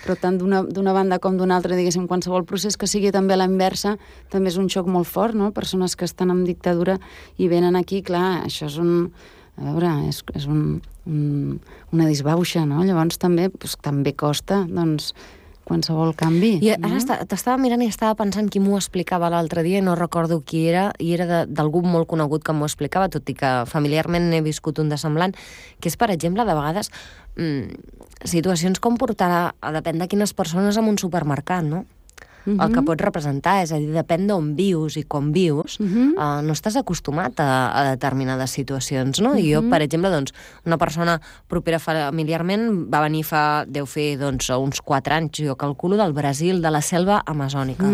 Però tant d'una banda com d'una altra, diguéssim, qualsevol procés que sigui també a la inversa, també és un xoc molt fort, no? Persones que estan en dictadura i venen aquí, clar, això és és una disbauxa, no? Llavors també costa, doncs, qualsevol canvi. I ara t'estava mirant i estava pensant qui m'ho explicava l'altre dia i no recordo qui era, i era d'algú molt conegut que m'ho explicava, tot i que familiarment n'he viscut un de semblant, que és, per exemple, de vegades situacions com portar, depèn de quines persones, a un supermercat, no? El que pot representar, és a dir, depèn d'on vius i com vius, no estàs acostumat a determinades situacions, no? I jo, per exemple, doncs, una persona propera familiarment va venir deu fer, doncs, uns 4 anys, jo calculo, del Brasil, de la selva amazònica.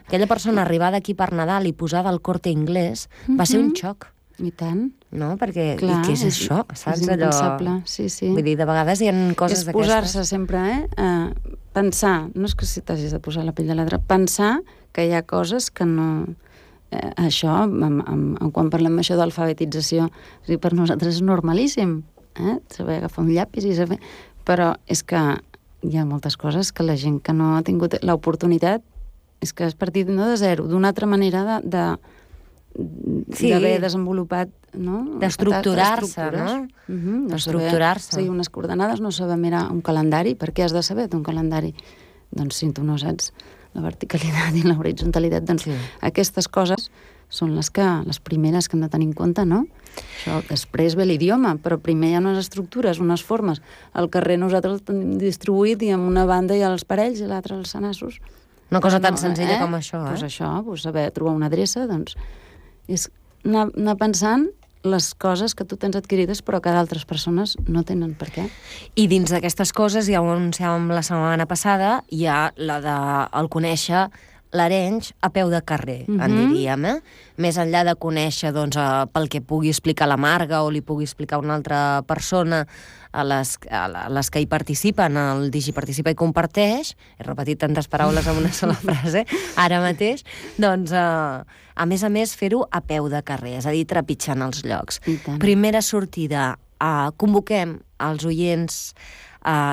Aquella persona arribada aquí per Nadal i posada al Corte Inglés va ser un xoc. I tant. No? Perquè, i què és això? Saps? És impensable, sí. Vull dir, de vegades hi ha coses d'aquestes. És posar-se sempre, pensar, no és que si t'hagis de posar la pell de l'altre, pensar que hi ha coses que no... Això, quan parlem això d'alfabetització, per nosaltres és normalíssim, saber agafar un llapis i saber... Però és que hi ha moltes coses que la gent que no ha tingut l'oportunitat és que has partit no de zero, d'una altra manera d'haver desenvolupat, no? D'estructurar-se, no? D'estructurar-se. Seguir unes coordenades, no saber mirar un calendari. Per què has de saber un calendari? Doncs si tu no saps la verticalitat i la horitzontalitat, doncs aquestes coses són les primeres que hem de tenir en compte, no? Això, després ve l'idioma, però primer hi ha unes estructures, unes formes. Al carrer nosaltres el tenim distribuït i amb una banda hi ha els parells i l'altra els senassos. Una cosa tan senzilla com això, Doncs això, saber trobar una adreça, doncs és anar pensant les coses que tu tens adquirides però que d'altres persones no tenen per què. I dins d'aquestes coses, ja ho anunciàvem la setmana passada, hi ha la de conèixer l'Arenys a peu de carrer, en diríem, Més enllà de conèixer, doncs, pel que pugui explicar la Marga o li pugui explicar una altra persona a les que hi participen, el DigiParticipa i Comparteix, he repetit tantes paraules en una sola frase, ara mateix, doncs, a més, fer-ho a peu de carrer, és a dir, trepitjant els llocs. Primera sortida, convoquem els oients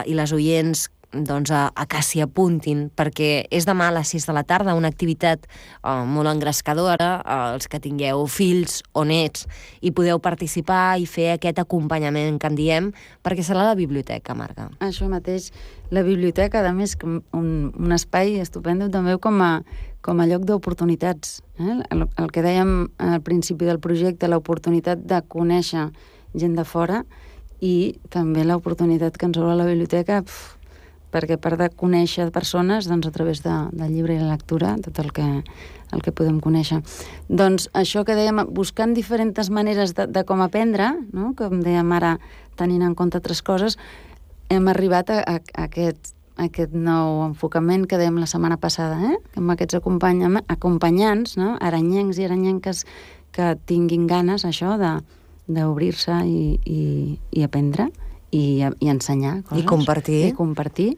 i les oients doncs, a que s'hi apuntin, perquè és demà a les 6 de la tarda, una activitat molt engrescadora, els que tingueu fills o nets i podeu participar i fer aquest acompanyament que en diem, perquè serà la biblioteca, Marga. Això mateix, la biblioteca, a més, un espai estupendo també com a lloc d'oportunitats. El que dèiem al principi del projecte, l'oportunitat de conèixer gent de fora i també l'oportunitat que ens obre la biblioteca perquè a part de conèixer persones, doncs a través del llibre i la lectura, tot el que podem conèixer. Doncs això que dèiem, buscant diferents maneres de com aprendre, no? Com dèiem ara, tenint en compte altres coses, hem arribat a aquest nou enfocament que dèiem la setmana passada, amb aquests acompanyants, no? Aranyencs i aranyenques que tinguin ganes, això, d'obrir-se i aprendre i ensenyar coses. I compartir.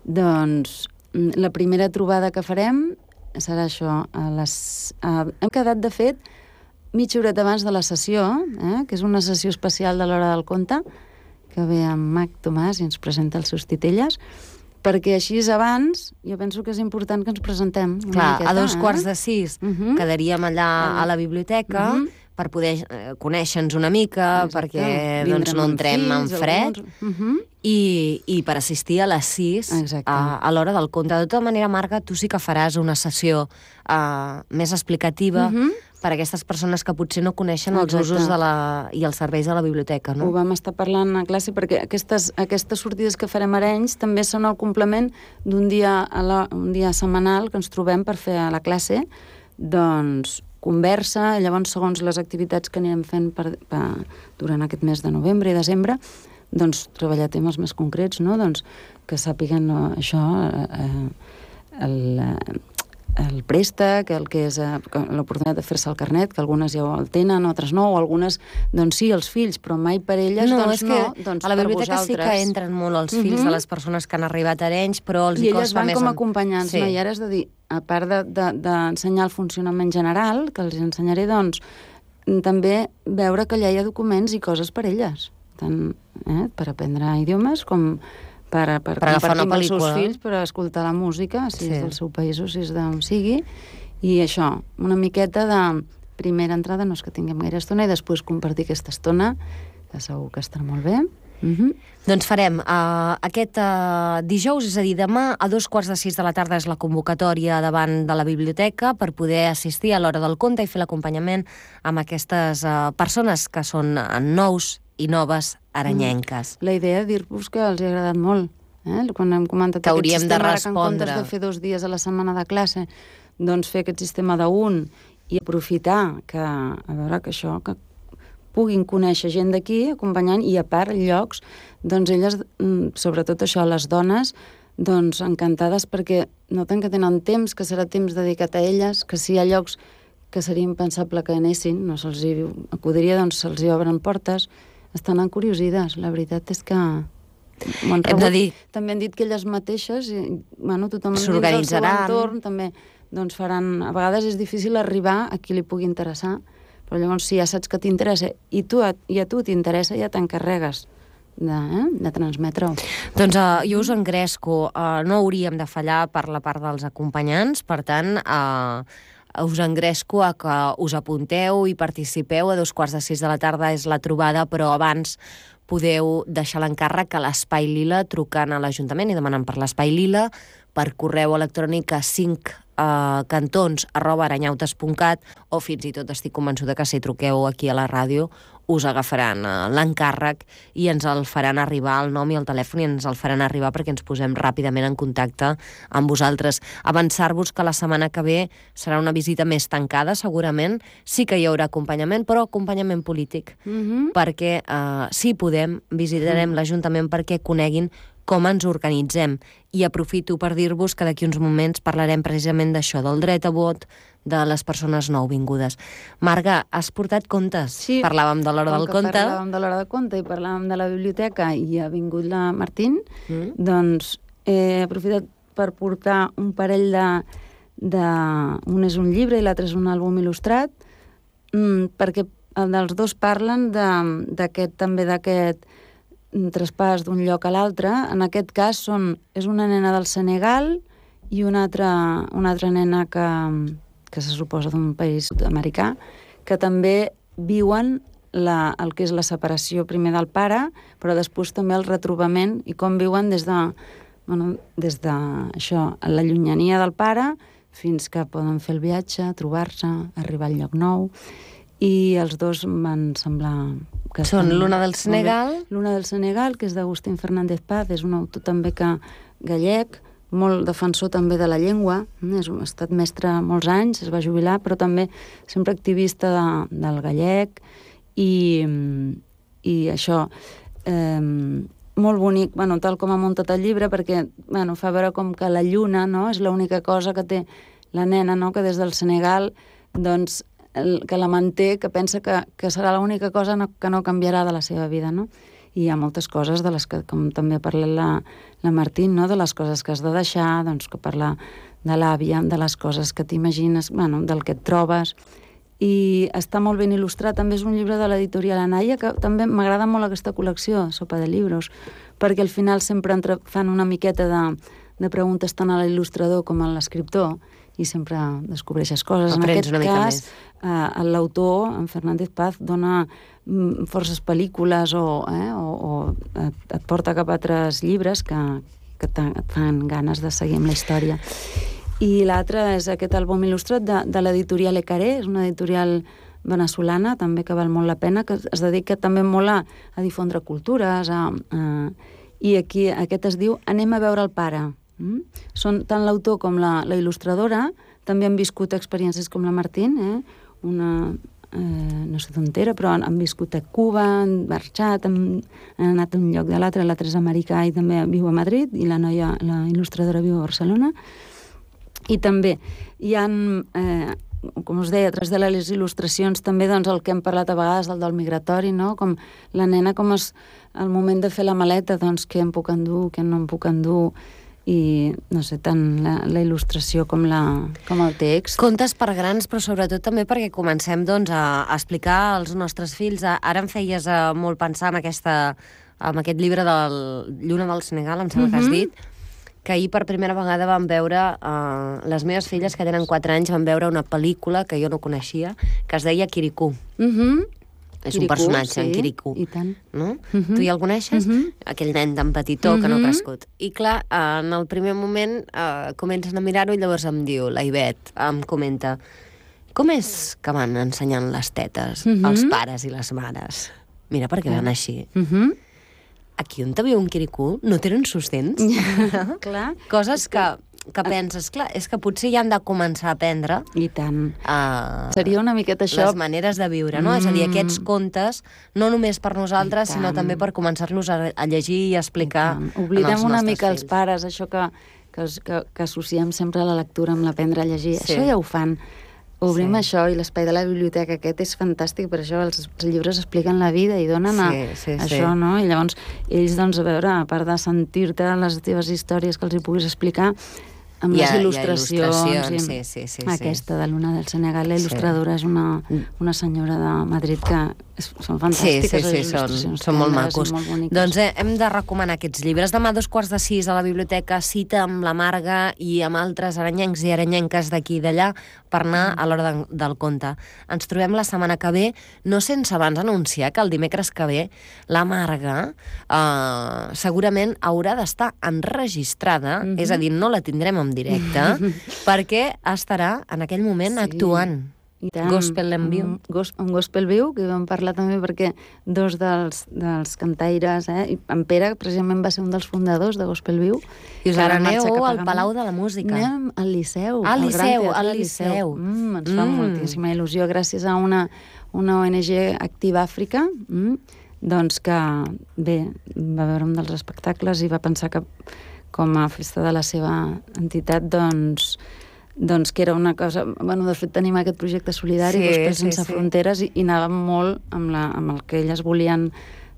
Doncs la primera trobada que farem serà això. Hem quedat, de fet, mitja horeta abans de la sessió, que és una sessió especial de l'Hora del Conte, que ve amb Mac Tomàs i ens presenta els seus titelles, perquè així abans jo penso que és important que ens presentem. Clar, a 5:45 quedaríem allà a la biblioteca per poder conèixer-nos una mica, perquè no entrem en fred, i per assistir a les 6 a l'Hora del Conte. De tota manera, Marga, tu sí que faràs una sessió més explicativa per a aquestes persones que potser no coneixen els usos i els serveis de la biblioteca, no? Ho vam estar parlant a classe, perquè aquestes sortides que farem a Arenys també són el complement d'un dia setmanal que ens trobem per fer a la classe, doncs, conversa, llavors, segons les activitats que anirem fent durant aquest mes de novembre i desembre, doncs, treballar temes més concrets, no? Doncs, que sàpiguen això, el préstec, el que és l'oportunitat de fer-se el carnet, que algunes ja el tenen, altres no, o algunes, doncs sí, els fills, però mai per elles, doncs no, doncs a la biblioteca sí que entren molt els fills de les persones que han arribat a Arenys, però els costa més... I elles van com a acompanyants, no? I ara és de dir, a part d'ensenyar el funcionament general, que els ensenyaré, doncs, també veure que allà hi ha documents i coses per elles, tant per aprendre idiomes com per compartir amb els seus fills, per escoltar la música, si és del seu país o si és d'on sigui, i això, una miqueta de primera entrada, no és que tinguem gaire estona, i després compartir aquesta estona, que segur que estarà molt bé. Doncs farem aquest dijous, és a dir, demà a 5:45 de la tarda és la convocatòria davant de la biblioteca per poder assistir a l'Hora del Conte i fer l'acompanyament amb aquestes persones que són nous i noves aranyenques. La idea de dir-vos que els ha agradat molt. Quan hem comentat que hauríem de respondre, que en comptes de fer 2 dies a la setmana de classe, doncs fer aquest sistema d'un i aprofitar que, a veure, que això, que puguin conèixer gent d'aquí, acompanyant, i a part llocs, doncs elles, sobretot això, les dones, doncs encantades perquè noten que tenen temps, que serà temps dedicat a elles, que si hi ha llocs que seria impensable que anessin, no se'ls acudiria, doncs se'ls hi obren portes, estan encuriosides. La veritat és que hem de dir... També han dit que elles mateixes, tothom s'organitzaran, dins del seu entorn, també doncs faran... A vegades és difícil arribar a qui li pugui interessar, però llavors si ja saps que t'interessa i a tu t'interessa, ja t'encarregues de transmetre-ho. Doncs jo us engresco. No hauríem de fallar per la part dels acompanyants, per tant... us engresco a que us apunteu i participeu. A 5:45 de la tarda és la trobada, però abans podeu deixar l'encàrrec a l'Espai Lila trucant a l'Ajuntament i demanant per l'Espai Lila, per correu electrònic a 5cantons@aranyautes.cat, o fins i tot estic convençuda que si truqueu aquí a la ràdio us agafaran l'encàrrec i ens el faran arribar, el nom i el telèfon, i ens el faran arribar perquè ens posem ràpidament en contacte amb vosaltres. Avançar-vos que la setmana que ve serà una visita més tancada, segurament. Sí que hi haurà acompanyament, però acompanyament polític, perquè si podem, visitarem l'Ajuntament perquè coneguin com ens organitzem. I aprofito per dir-vos que d'aquí uns moments parlarem precisament d'això, del dret a vot de les persones nouvingudes. Marga, has portat contes? Sí. Parlàvem de l'Hora del Conte. Parlàvem de l'Hora del Conte i parlàvem de la biblioteca i ha vingut la Martín, doncs he aprofitat per portar un parell un és un llibre i l'altre és un àlbum il·lustrat, perquè els dos parlen d'aquest traspàs d'un lloc a l'altre. En aquest cas és una nena del Senegal i una altra nena que se suposa d'un país sud-americà, que també viuen el que és la separació primer del pare, però després també el retrobament i com viuen des de això, la llunyania del pare, fins que poden fer el viatge, trobar-se, arribar al lloc nou. I els dos van semblar... Són l'una del Senegal? L'una del Senegal, que és d'Agustín Fernández Paz, és un autor també que gallec, molt defensor també de la llengua, ha estat mestre molts anys, es va jubilar, però també sempre activista del gallec, i això, molt bonic, tal com ha muntat el llibre, perquè fa veure com que la lluna, no?, és l'única cosa que té la nena, no?, que des del Senegal, doncs, que la manté, que pensa que serà l'única cosa que no canviarà de la seva vida, no? I hi ha moltes coses de les que, com també ha parlat la Martín, no?, de les coses que has de deixar, doncs que parla de l'àvia, de les coses que t'imagines, del que et trobes. I està molt ben il·lustrat. També és un llibre de l'editorial Anaya, que també m'agrada molt aquesta col·lecció, Sopa de Libros, perquè al final sempre fan una miqueta de preguntes tant a l'il·lustrador com a l'escriptor, i sempre descobreixes coses. Aprens en aquest cas, l'autor, en Fernández Paz, dona forces pel·lícules o et porta cap a altres llibres que et fan ganes de seguir amb la història. I l'altre és aquest àlbum il·lustrat de l'editorial Ecaré, és una editorial venezolana, també que val molt la pena, que es dedica també molt a difondre cultures, i aquí aquest es diu Anem a veure el pare. Són tant l'autor com la il·lustradora, també han viscut experiències com la Martín, no sé d'on era, però han viscut a Cuba, han marxat, han anat d'un lloc de l'altre és americà i també viu a Madrid, i la noia, la il·lustradora, viu a Barcelona. I també hi ha, com us deia, a través de les il·lustracions també doncs, el que hem parlat a vegades del migratori, no? Com la nena, com és el moment de fer la maleta, doncs què em puc endur, què no em puc endur, i no sé, tant la il·lustració com el text. Contes per grans, però sobretot també perquè comencem doncs, a explicar als nostres fills. Ara em feies molt pensar en aquest llibre del Lluna del Senegal, em sembla que has dit, que ahir per primera vegada van veure, les meves filles que tenen 4 anys van veure una pel·lícula que jo no coneixia, que es deia Kirikou. És un personatge, en Kirikou. I tant. No? Tu ja el coneixes? Aquell nen tan petitó que no ha crescut. I clar, en el primer moment comencen a mirar-ho i llavors em diu, la Ivet, em comenta, com és que van ensenyant les tetes els pares i les mares? Mira, perquè van així. Aquí on te viu un Kirikou no tenen sostens. Clar. Coses que penses, clar, és que potser ja han de començar a aprendre. I tant. Seria una miqueta això. Les maneres de viure, no? És a dir, aquests contes, no només per nosaltres, sinó també per començar-los a llegir i a explicar als nostres fills. Oblidem una mica els pares, això que associem sempre a la lectura amb l'aprendre a llegir. Això ja ho fan. Obrim això, i l'espai de la biblioteca aquest és fantàstic, per això els llibres expliquen la vida i donen això, no? I llavors ells, doncs, a veure, a part de sentir-te les teves històries que els hi puguis explicar, amb les il·lustracions. Aquesta de Lluna del Senegal, la il·lustradora és una senyora de Madrid que són fantàstiques. Sí, són molt macos. Doncs hem de recomanar aquests llibres. Demà a 5:45 a la biblioteca, cita amb la Marga i amb altres aranyencs i aranyenques d'aquí i d'allà per anar a l'hora del conte. Ens trobem la setmana que ve, no sense abans anunciar que el dimecres que ve la Marga segurament haurà d'estar enregistrada, és a dir, no la tindrem en directe, perquè estarà en aquell moment actuant. Gospel en viu. Un gospel viu, que vam parlar també perquè dos dels cantaires, i en Pere precisament va ser un dels fundadors de Gospel Viu. I us aneu al Palau de la Música. Anem al Liceu. Al Liceu. Ens fa moltíssima il·lusió, gràcies a una ONG Activa Àfrica, doncs que, bé, va veure un dels espectacles i va pensar que com a festa de la seva entitat, doncs que era una cosa... Bueno, de fet, tenim aquest projecte solidari, Gospel Sense Fronteres, i anàvem molt amb el que elles volien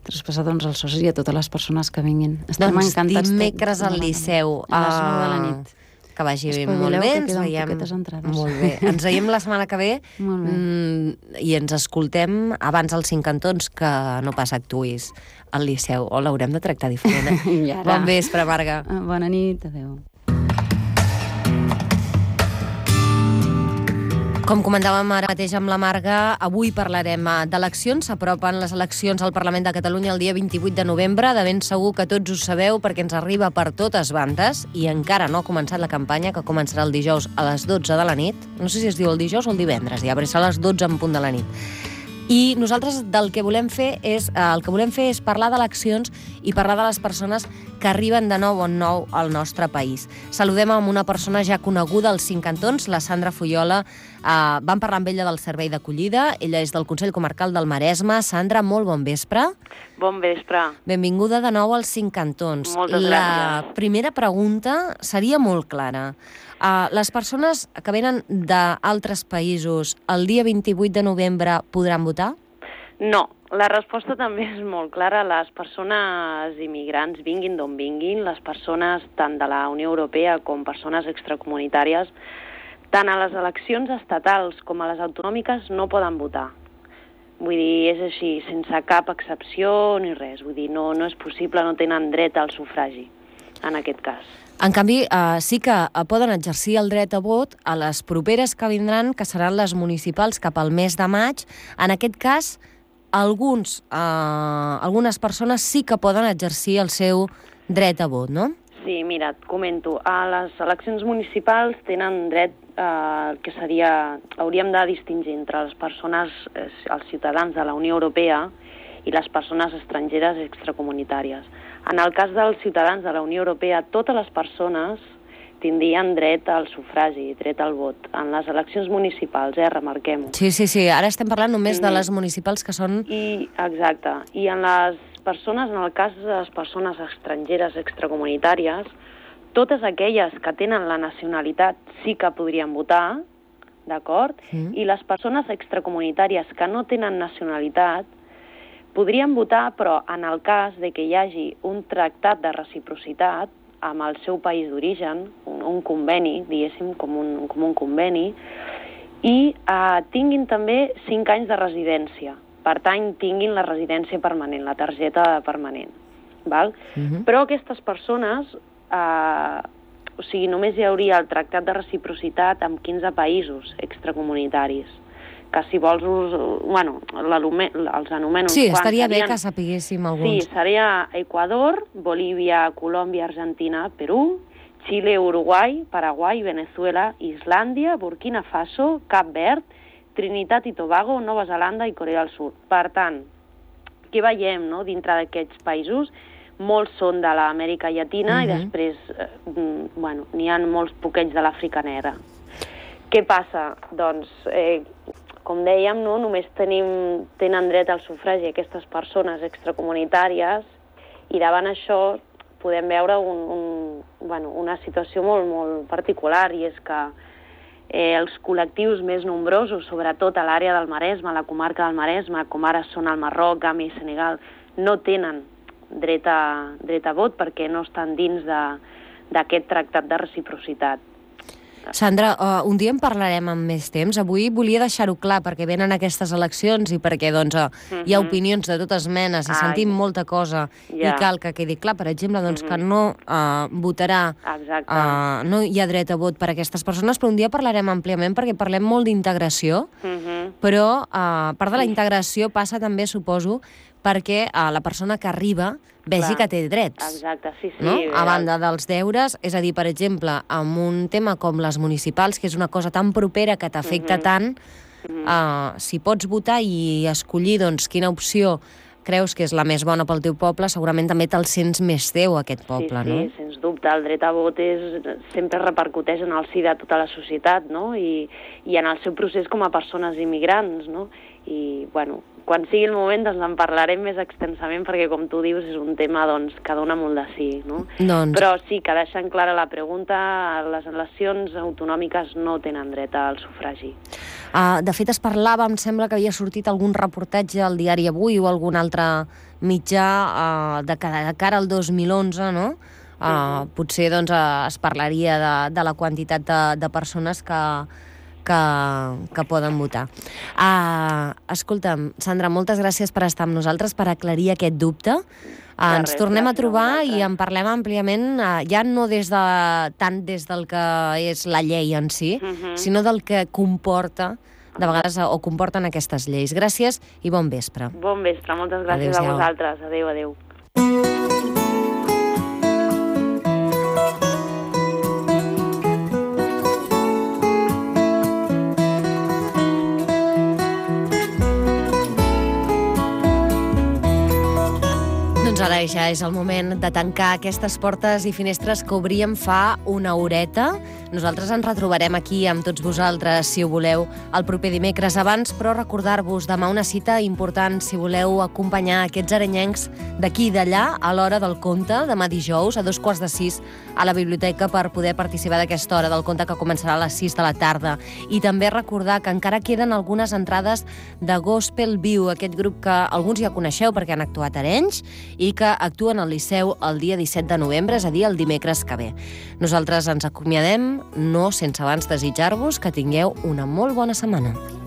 traspassar als socis i a totes les persones que vinguin. Estem encantats. Dimecres al Liceu. A les 9 de la nit. Que vagi molt bé. Ens veiem. Molt bé. Ens veiem la setmana que ve i ens escoltem abans els 5 cantons, que no pas actuïs al Liceu. O l'haurem de tractar diferent. Bon vespre, Marga. Bona nit, adeu. Com comentàvem ara mateix amb la Marga, avui parlarem d'eleccions. S'apropen les eleccions al Parlament de Catalunya el dia 28 de novembre. De ben segur que tots ho sabeu perquè ens arriba per totes bandes i encara no ha començat la campanya, que començarà el dijous a les 12 de la nit. No sé si es diu el dijous o el divendres, ja, però serà a les 12 en punt de la nit. I nosaltres el que volem fer és parlar d'eleccions i parlar de les persones que arriben de nou en nou al nostre país. Saludem amb una persona ja coneguda als 5 cantons, la Sandra Fullola. Vam parlar amb ella del servei d'acollida. Ella és del Consell Comarcal del Maresme. Sandra, molt bon vespre. Bon vespre. Benvinguda de nou als 5 cantons. Moltes gràcies. La primera pregunta seria molt clara. Les persones que venen d'altres països el dia 28 de novembre podran votar? No, la resposta també és molt clara. Les persones immigrants, vinguin d'on vinguin, les persones tant de la Unió Europea com persones extracomunitàries, tant a les eleccions estatals com a les autonòmiques no poden votar. Vull dir, és així, sense cap excepció ni res. Vull dir, no és possible, no tenen dret al sufragi, en aquest cas. En canvi, sí que poden exercir el dret a vot a les properes que vindran, que seran les municipals cap al mes de maig. En aquest cas, algunes persones sí que poden exercir el seu dret a vot, no? Sí, mira, et comento. A les eleccions municipals tenen dret que seria... Hauríem de distingir entre les persones, els ciutadans de la Unió Europea i les persones estrangeres extracomunitàries. En el cas dels ciutadans de la Unió Europea, totes les persones tindrien dret al sufragi, dret al vot. En les eleccions municipals, remarquem-ho. Sí. Ara estem parlant només de les municipals que són... Exacte. I en les persones, en el cas de les persones estrangeres extracomunitàries, totes aquelles que tenen la nacionalitat sí que podrien votar, d'acord? I les persones extracomunitàries que no tenen nacionalitat podrien votar, però en el cas de que hi hagi un tractat de reciprocitat amb el seu país d'origen, un conveni, diguéssim, com un conveni, i tinguin també 5 anys de residència. Per tant, tinguin la residència permanent, la targeta permanent. Val? Però aquestes persones, només hi hauria el tractat de reciprocitat amb 15 països extracomunitaris, que si vols, els anomeno... Sí, estaria bé que sapiguéssim alguns. Sí, seria Equador, Bolívia, Colòmbia, Argentina, Perú, Xile, Uruguai, Paraguai, Venezuela, Islàndia, Burkina Faso, Cap Verd, Trinitat i Tobago, Nova Zelanda i Corea del Sud. Per tant, què veiem, no? Dintre d'aquests països, molts són de l'Amèrica Llatina i després, n'hi ha molts poquets de l'Àfrica Negra. Què passa? Doncs, com dèiem, no? Només tenen dret al sufragi aquestes persones extracomunitàries i davant això podem veure una situació molt, molt particular, i és que els col·lectius més nombrosos, sobretot a l'àrea del Maresme, a la comarca del Maresme, com ara són el Marroc, Gàmbia i Senegal, no tenen dret a vot perquè no estan dins d'aquest tractat de reciprocitat. Sandra, un dia en parlarem amb més temps. Avui volia deixar-ho clar perquè venen aquestes eleccions i perquè hi ha opinions de totes menes i sentim molta cosa i cal que quedi clar, per exemple, que no votarà, no hi ha dret a vot per a aquestes persones, però un dia parlarem àmpliament perquè parlem molt d'integració, però part de la integració passa també, suposo, perquè la persona que arriba vegi que té drets. Exacte, sí. No? A banda dels deures, és a dir, per exemple, amb un tema com les municipals, que és una cosa tan propera que t'afecta tant, si pots votar i escollir quina opció creus que és la més bona pel teu poble, segurament també te'l sents més teu, aquest poble, no? Sí, sens dubte. El dret a vot sempre repercuteix en el si de tota la societat, no? I en el seu procés com a persones immigrants, no? I, quan sigui el moment en parlarem més extensament perquè, com tu dius, és un tema que dona molt de sí, no? Però sí que deixant clara la pregunta, les eleccions autonòmiques no tenen dret al sufragi. De fet, es parlava, em sembla que havia sortit algun reportatge al diari Avui o algun altre mitjà de cara al 2011, no? Potser es parlaria de la quantitat de persones que poden votar. Escolta'm, Sandra, moltes gràcies per estar amb nosaltres, per aclarir aquest dubte. Ens tornem a trobar i en parlem àmpliament, ja no tant des del que és la llei en si, sinó del que comporta, de vegades, o comporten aquestes lleis. Gràcies i bon vespre. Bon vespre, moltes gràcies a vosaltres. Adéu, adéu. Doncs ara ja és el moment de tancar aquestes portes i finestres que obríem fa una horeta. Nosaltres ens retrobarem aquí amb tots vosaltres, si ho voleu, el proper dimecres. Abans, però, recordar-vos demà una cita important si voleu acompanyar aquests arenyencs d'aquí i d'allà a l'hora del conte, demà dijous, a 5:45, a la biblioteca per poder participar d'aquesta hora del conte que començarà a les 6 de la tarda. I també recordar que encara queden algunes entrades de Gospel Viu, aquest grup que alguns ja coneixeu perquè han actuat a Arenys i que actuen al Liceu el dia 17 de novembre, és a dir, el dimecres que ve. Nosaltres ens acomiadem, no sense abans desitjar-vos que tingueu una molt bona setmana.